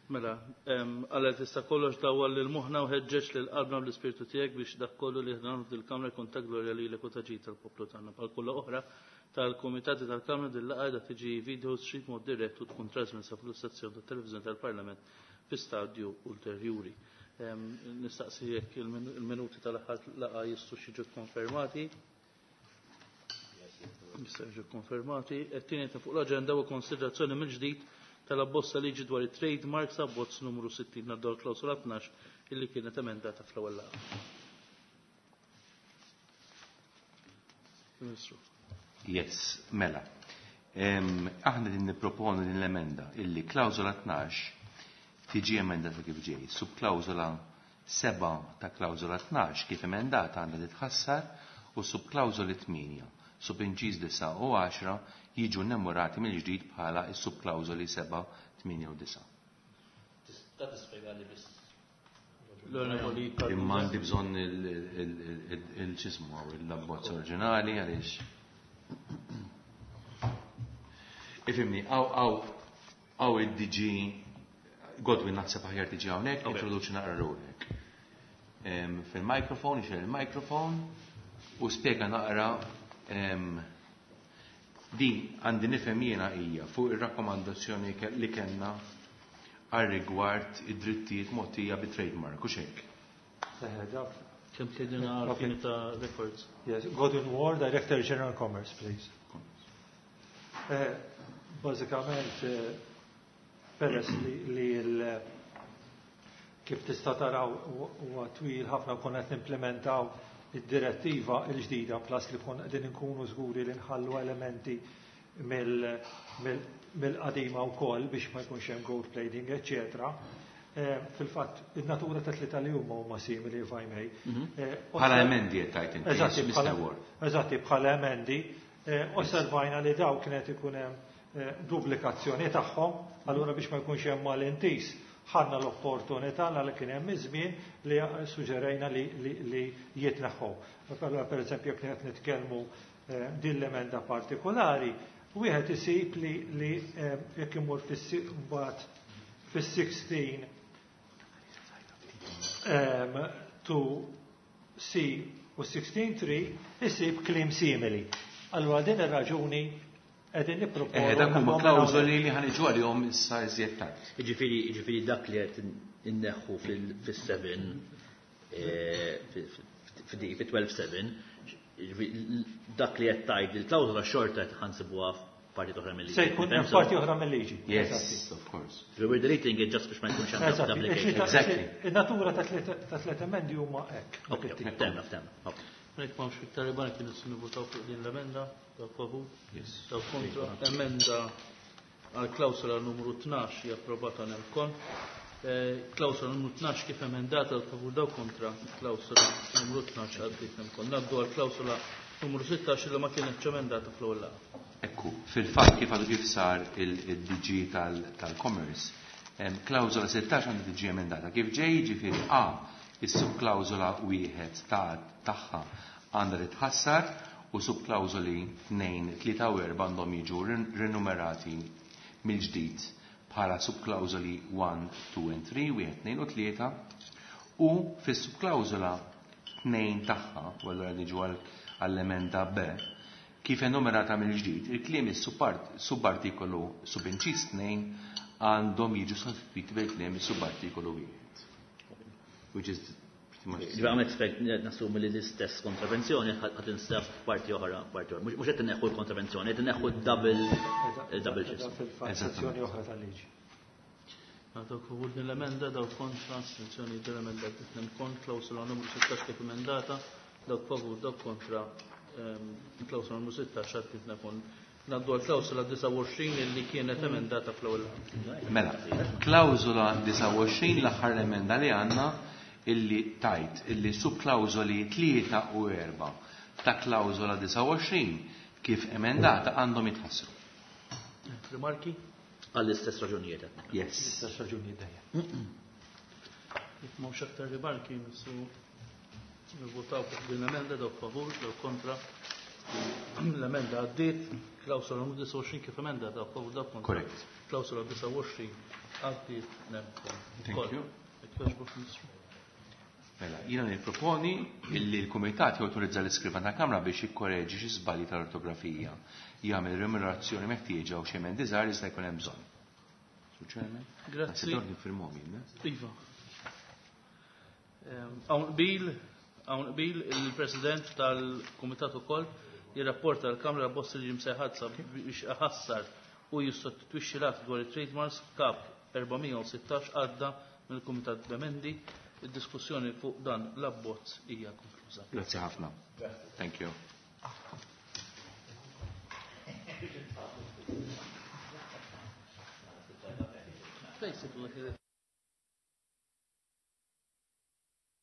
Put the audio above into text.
Mela, Alla tista' kollox dawwal lil moħħna u ħeġġeġ lil qalbna bl-Ispirtu tiegħek biex dak kollu li aħna nagħmlu f'dil-Kamra jkun ta' glorja lilek u ta' ġid tal-poplu tagħna. Bħal kull oħra tal-Kumitati tal-Kamra din laqgħa qiegħda tiġi video streamed mod dirett u tkun trasmessa fuq l-istazzjon tat-televiżjoni tal-Parlament fi stadju ulterjuri. Nistaqsi jekk il-minuti tal-aħħar laqgħa jistgħux jiġu kkonfermati. Jistgħu jiġu kkonfermati. It-tieni ta' fuq l-aġenda huwa konsiderazzjoni mill-ġdid tal-abbozz ta' liġi dwar it-trademarks abbozz numru 60 ngħaddu għall-klawsola 12 illi kienet emendata fl-ewwel laqgħa. Ministru. Yes, mela. Aħna din nipproponu din l-emenda illi klawsola 12 tiġi emendata kif ġej. Subklawsola 7 ta' klawżola 12 kif emendata għandha titħassar u s-subklawżoli 8, subinċiż 9 u 10 jiġu nnemurati mill-ġdid bħala s-subklawżoli 7, 8 u 9. Tista' tispjegali biss? Imma għandi bżonn il-x'ismu hawn l-abbozz oriġinali għaliex. Ifhimni, hawn Hawn id-DG Godwin naħseb aħjar tiġi hawnhekk, introduċi naqra ruħek. Fil-microphone, ixel il-microphone u spjega naqra din għandi nifhem jiena hija fuq ir-rakkomandazzjoni li kellna għal rigward id-drittijiet mogħtija bi trademark u xejk. Kemm tgħidilna għal ta' records? Yes, Godwin Ward, Director General Commerce, please. Eh, bażikament, eh, peress li l kif tista' taraw huwa twil ħafna konna qed nimplementaw id-direttiva l-ġdida plus li konna qegħdin inkunu żguri li nħallu elementi mill-qadima wkoll biex ma jkunx hemm gold plating, eċċetera. Eh, fil-fatt, in-natura ta' tlieta li huma huma simili if I may. Bħala emendi qed tgħid inti, Mr. Ward. Eżatti, bħala emendi, Osservajna li dawn kien qed ikun hemm duplikazzjoni tagħhom, allura biex ma jkunx hemm malintiż ħadna l-opportunità li kien hemm iż-żmien li suġġerejna li jitneħħu. Allura pereżempju jekk qed nitkellmu din l-emenda partikolari, wieħed isib li jekk imur fis-mbagħad fis-16 to C u 16.3 isib kliem simili. Allura din ir-raġuni qegħdin nipproponu. Eh, dak huma klawżoli li ħaniġu għalihom issa iżjed tard. Jiġifieri jiġifieri dak li qed inneħħu fis-7 eh, fi 12-7 dak li qed tgħid il-klawżola xorta qed ħansibuha parti oħra mill-liġi. Se jkun hemm parti oħra mill-liġi. Yes, of course. We're deleting it just biex ma jkunx hemm duplication. Exactly. In-natura ta' tliet emendi huma hekk. Ok, ftemna, ftemna. Jekk m'hawnx iktar rimarki nistgħu nivvutaw fuq din l-emenda, dawk favur? Yes. Dawk kontra. Emenda għal klawsola numru 12 hija approvata nemkon. Eh, klawsola numru 12 kif emendata għal favur dawk kontra klawsola numru 12 għaddiet nemkon. Naddu għal klawsola numru 16 li ma kienetx emendata fl-ewwel laqgħa. Ekku, fil-fatt kif għadu kif sar il-DG tal-Commerce, klawżola 16 għandha tiġi emendata kif ġej, jiġifieri A, is-subklawżola wieħed ta' tagħha għandha titħassar u subklawżoli 2, 3 u 4 għandhom jiġu rinumerati mill-ġdid bħala subklawżoli 1, 2 and 3, wieħed, tnejn u tlieta, u fis-subklawżola 2 tagħha, u allura niġu għall-emenda B, kif enumerata mill-ġdid, il-kliem is-subartikolu subinċiż 2 għandhom jiġu sostitwiti bil-kliem is-subartikolu 1. Which is pretty much. Ġifieri għam expect nassumi li l-istess kontravenzjoni ħadd instab f'parti oħra, parti oħra. Mhux qed inneħħu l-kontravenzjoni, qed inneħħu double double shift. Fil-fatt oħra tal-liġi. Dawk favur din l-emenda, dawk kontra, astensjoni din l-emenda titnem kont, klawsula numru 16 kif emendata, dawk favur, dawk kontra, ehm, klawsula numru 16 għad titnem kont. Ngħaddu għal klawsula 29 illi kienet emendata fl-ewwel Mela, klawsula 29 l-aħħar emenda li għandna illi tajt illi subklawżoli 3 u 4 ta' klawżola 29 kif emendata għandhom jitħassru. Rimarki? Għall-istess raġunijiet. Yes. L-istess raġunijiet dejjem. Jekk m'hawnx aktar rimarki, nissu nivvotaw fuq din l-emenda dawk favur, dawk kontra. L-emenda għaddiet, klawsola numru 29 kif emendata, favur dawk kontra. Correct. Klawsola 29 għaddiet nemkom. Thank you. Jekk jogħġbok, Ministru. Mela, jiena nipproponi illi l-Kumitat jawtorizza l-iskrivan ta' Kamra biex jikkoreġi xi żbalji tal-ortografija, jagħmel remunerazzjoni meħtieġa u xi emendi żgħar li jista' jkun hemm bżonn. Sur Chairman? Grazzi. Naħseb dawn niffirmhom jien, eh? Iva. Hawn qbil, hawn qbil il-President tal-Kumitat ukoll jirrapporta l-Kamra bozz li msejħadsa biex iħassar u jissostitwixxi l-att dwar it-trademarks kap 416 għadda mill-Kumitat b'emendi. Id-diskussjoni fuq dan l-abbozz hija konkluża. Grazzi ħafna. Thank you. Basically,